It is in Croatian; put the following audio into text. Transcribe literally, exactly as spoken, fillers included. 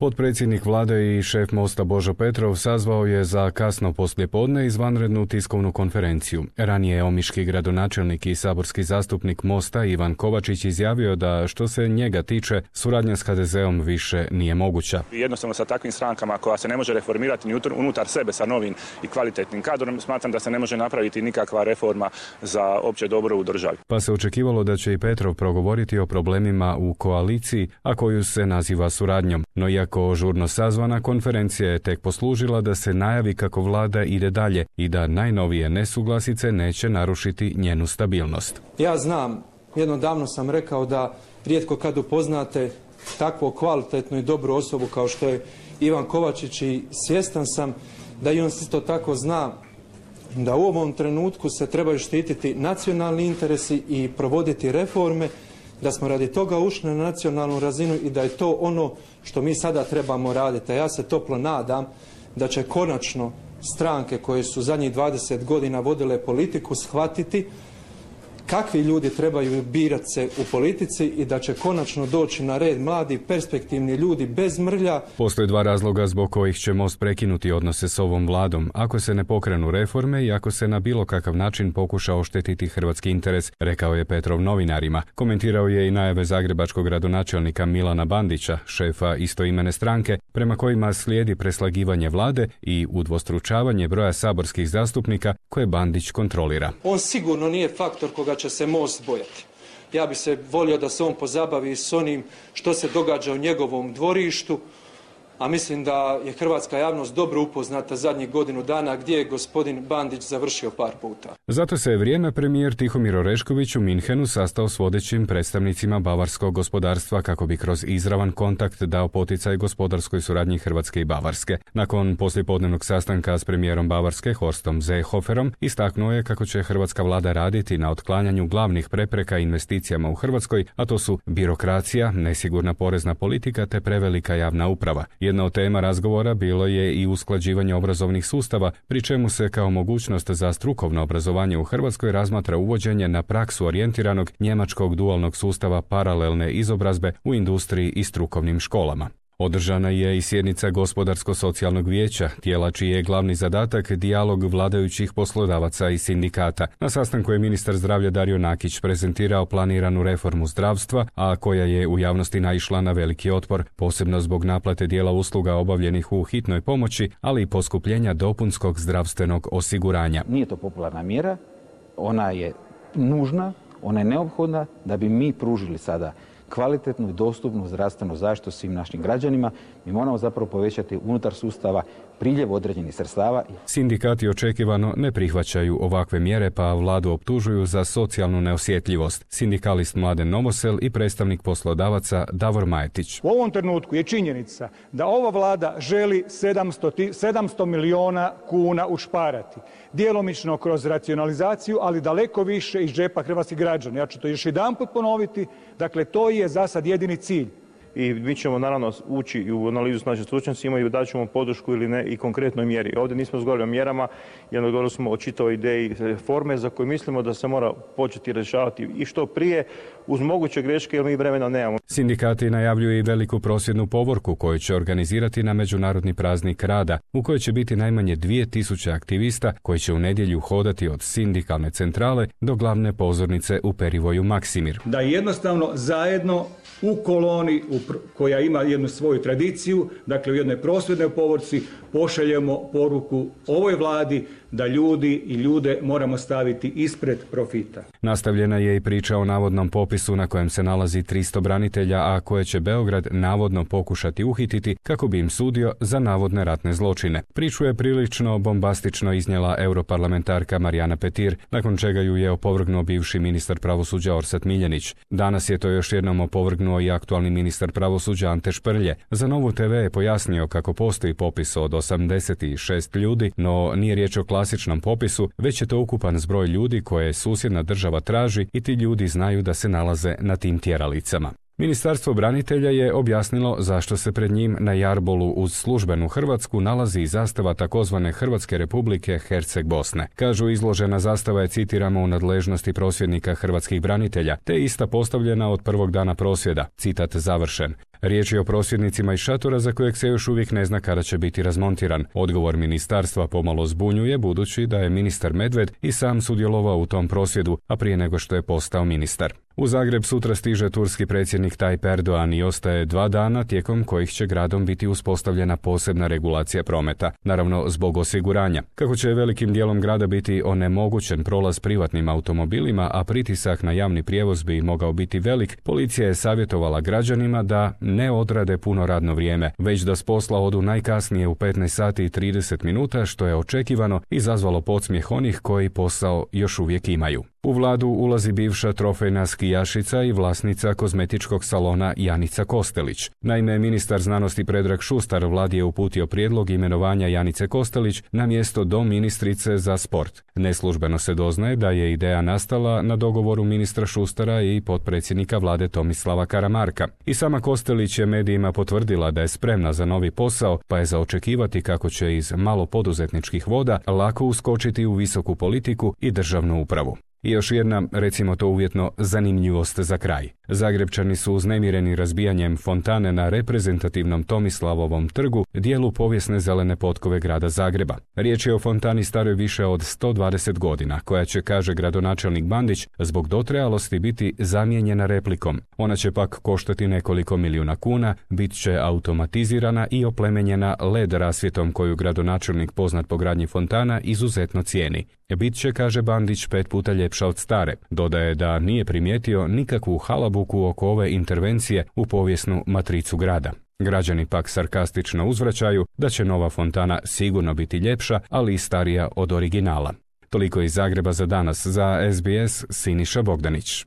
Potpredsjednik vlade i šef Mosta Božo Petrov sazvao je za kasno poslijepodne izvanrednu tiskovnu konferenciju. Ranije je omiški gradonačelnik i saborski zastupnik Mosta Ivan Kovačić izjavio da što se njega tiče, suradnja s ha de zeom više nije moguća. Jednostavno sa takvim strankama koja se ne može reformirati ni unutar sebe sa novim i kvalitetnim kadrom, smatram da se ne može napraviti nikakva reforma za opće dobro u državi. Pa se očekivalo da će i Petrov progovoriti o problemima u koaliciji, a koju se naziva suradnjom. No iako žurno sazvana, konferencija je tek poslužila da se najavi kako vlada ide dalje i da najnovije nesuglasice neće narušiti njenu stabilnost. Ja znam, jednom davno sam rekao da rijetko kad upoznate takvu kvalitetnu i dobru osobu kao što je Ivan Kovačić i svjestan sam da i on isto tako zna da u ovom trenutku se trebaju štititi nacionalni interesi i provoditi reforme, da smo radi toga ušli na nacionalnu razinu i da je to ono što mi sada trebamo raditi. A ja se toplo nadam da će konačno stranke koje su zadnjih dvadeset godina vodile politiku shvatiti kakvi ljudi trebaju birati se u politici i da će konačno doći na red mladi, perspektivni ljudi bez mrlja. Postoje dva razloga zbog kojih će Most prekinuti odnose s ovom vladom, ako se ne pokrenu reforme i ako se na bilo kakav način pokuša oštetiti hrvatski interes, rekao je Petrov novinarima. Komentirao je i najave zagrebačkog gradonačelnika Milana Bandića, šefa istoimene stranke, prema kojima slijedi preslagivanje vlade i udvostručavanje broja saborskih zastupnika koje Bandić kontrolira. On sigurno nije faktor koga će se Most bojati. Ja bi se volio da se on pozabavi s onim što se događa u njegovom dvorištu, a mislim da je hrvatska javnost dobro upoznata zadnjih godinu dana gdje je gospodin Bandić završio par puta. Zato se je vrijeme premijer Tihomir Orešković u Minhenu sastao s vodećim predstavnicima bavarskog gospodarstva kako bi kroz izravan kontakt dao poticaj gospodarskoj suradnji Hrvatske i Bavarske. Nakon poslijepodnevnog sastanka s premijerom Bavarske Horstom Seehoferom istaknuo je kako će hrvatska vlada raditi na otklanjanju glavnih prepreka investicijama u Hrvatskoj, a to su birokracija, nesigurna porezna politika te prevelika javna uprava. Jedna od tema razgovora bilo je i usklađivanje obrazovnih sustava, pri čemu se kao mogućnost za strukovno obrazovanje u Hrvatskoj razmatra uvođenje na praksu orijentiranog njemačkog dualnog sustava paralelne izobrazbe u industriji i strukovnim školama. Održana je i sjednica Gospodarsko-socijalnog vijeća, tijela čiji je glavni zadatak dijalog vladajućih poslodavaca i sindikata. Na sastanku je ministar zdravlja Dario Nakić prezentirao planiranu reformu zdravstva, a koja je u javnosti naišla na veliki otpor, posebno zbog naplate dijela usluga obavljenih u hitnoj pomoći, ali i poskupljenja dopunskog zdravstvenog osiguranja. Nije to popularna mjera, ona je nužna, ona je neophodna da bi mi pružili sada kvalitetnu i dostupnu zdravstvenu zaštitu svim našim građanima. Mi moramo zapravo povećati unutar sustava priljev određenih sredstava. Sindikati očekivano ne prihvaćaju ovakve mjere, pa vladu optužuju za socijalnu neosjetljivost. Sindikalist Mladen Novosel i predstavnik poslodavaca Davor Majetić. U ovom trenutku je činjenica da ova vlada želi sedamsto milijuna kuna ušparati. Djelomično kroz racionalizaciju, ali daleko više iz džepa hrvatskih građana. Ja ću to još jedanput ponoviti. Dakle, to je za sad jedini cilj. I mi ćemo naravno ući i u analizu s našim stručnjacima i dat ćemo podršku ili ne i konkretnoj mjeri. Ovdje nismo razgovarali o mjerama, jer govorili smo o čitavoj ideji reforme za koju mislimo da se mora početi rješavati i što prije uz moguće greške jer mi vremena nemamo. Sindikati najavljuju i veliku prosvjednu povorku koju će organizirati na Međunarodni praznik rada, u kojoj će biti najmanje dvije tisuće aktivista koji će u nedjelju hodati od sindikalne centrale do glavne pozornice u Perivoju Maksimir. Da jednostavno zajedno u koloni u koja ima jednu svoju tradiciju, dakle u jednoj prosvjednoj povorci pošaljemo poruku ovoj vladi da ljudi i ljude moramo staviti ispred profita. Nastavljena je i priča o navodnom popisu na kojem se nalazi tristo branitelja, a koje će Beograd navodno pokušati uhititi kako bi im sudio za navodne ratne zločine. Priču je prilično bombastično iznijela europarlamentarka Marijana Petir, nakon čega ju je opovrgnuo bivši ministar pravosuđa Orsat Miljenić. Danas je to još jednom opovrgnuo i aktualni ministar pravosuđa Ante Šprlje. Za Novu te ve je pojasnio kako postoji popis od osamdeset šest ljudi, no nije riječ o klasičnom popisu, već je to ukupan zbroj ljudi koje susjedna država traži i ti ljudi znaju da se nalaze na tim tjeralicama. Ministarstvo branitelja je objasnilo zašto se pred njim na jarbolu uz službenu Hrvatsku nalazi zastava takozvane Hrvatske republike Herceg Bosne. Kažu, izložena zastava je, citiramo, u nadležnosti prosvjednika hrvatskih branitelja, te ista postavljena od prvog dana prosvjeda. Citat završen. Riječ je o prosvjednicima iz šatora za kojeg se još uvijek ne zna kada će biti razmontiran. Odgovor ministarstva pomalo zbunjuje budući da je ministar Medved i sam sudjelovao u tom prosvjedu, a prije nego što je postao ministar. U Zagreb sutra stiže turski predsjednik Tayyip Erdogan i ostaje dva dana tijekom kojih će gradom biti uspostavljena posebna regulacija prometa, naravno zbog osiguranja. Kako će velikim dijelom grada biti onemogućen prolaz privatnim automobilima, a pritisak na javni prijevoz bi mogao biti velik, policija je savjetovala građanima da ne odrade puno radno vrijeme, već da s posla odu najkasnije u petnaest sati i trideset minuta, što je očekivano i izazvalo podsmijeh onih koji posao još uvijek imaju. U vladu ulazi bivša trofejna skijašica i vlasnica kozmetičkog salona Janica Kostelić. Naime, ministar znanosti Predrag Šustar vladi je uputio prijedlog imenovanja Janice Kostelić na mjesto doministrice za sport. Neslužbeno se doznaje da je ideja nastala na dogovoru ministra Šustara i potpredsjednika vlade Tomislava Karamarka. I sama Kostelić je medijima potvrdila da je spremna za novi posao, pa je za očekivati kako će iz malo poduzetničkih voda lako uskočiti u visoku politiku i državnu upravu. I još jedna, recimo to uvjetno, zanimljivost za kraj. Zagrebčani su uznemireni razbijanjem fontane na reprezentativnom Tomislavovom trgu, dijelu povijesne zelene potkove grada Zagreba. Riječ je o fontani staroj više od sto dvadeset godina, koja će, kaže gradonačelnik Bandić, zbog dotrajalosti biti zamijenjena replikom. Ona će pak koštati nekoliko milijuna kuna, bit će automatizirana i oplemenjena el e de rasvjetom koju gradonačelnik poznat po gradnji fontana izuzetno cijeni. Bit će, kaže Bandić, pet puta ljepša od stare. Dodaje da nije primijetio nikakvu halabuku oko ove intervencije u povijesnu matricu grada. Građani pak sarkastično uzvraćaju da će nova fontana sigurno biti ljepša, ali i starija od originala. Toliko iz Zagreba za danas. Za es be es, Siniša Bogdanić.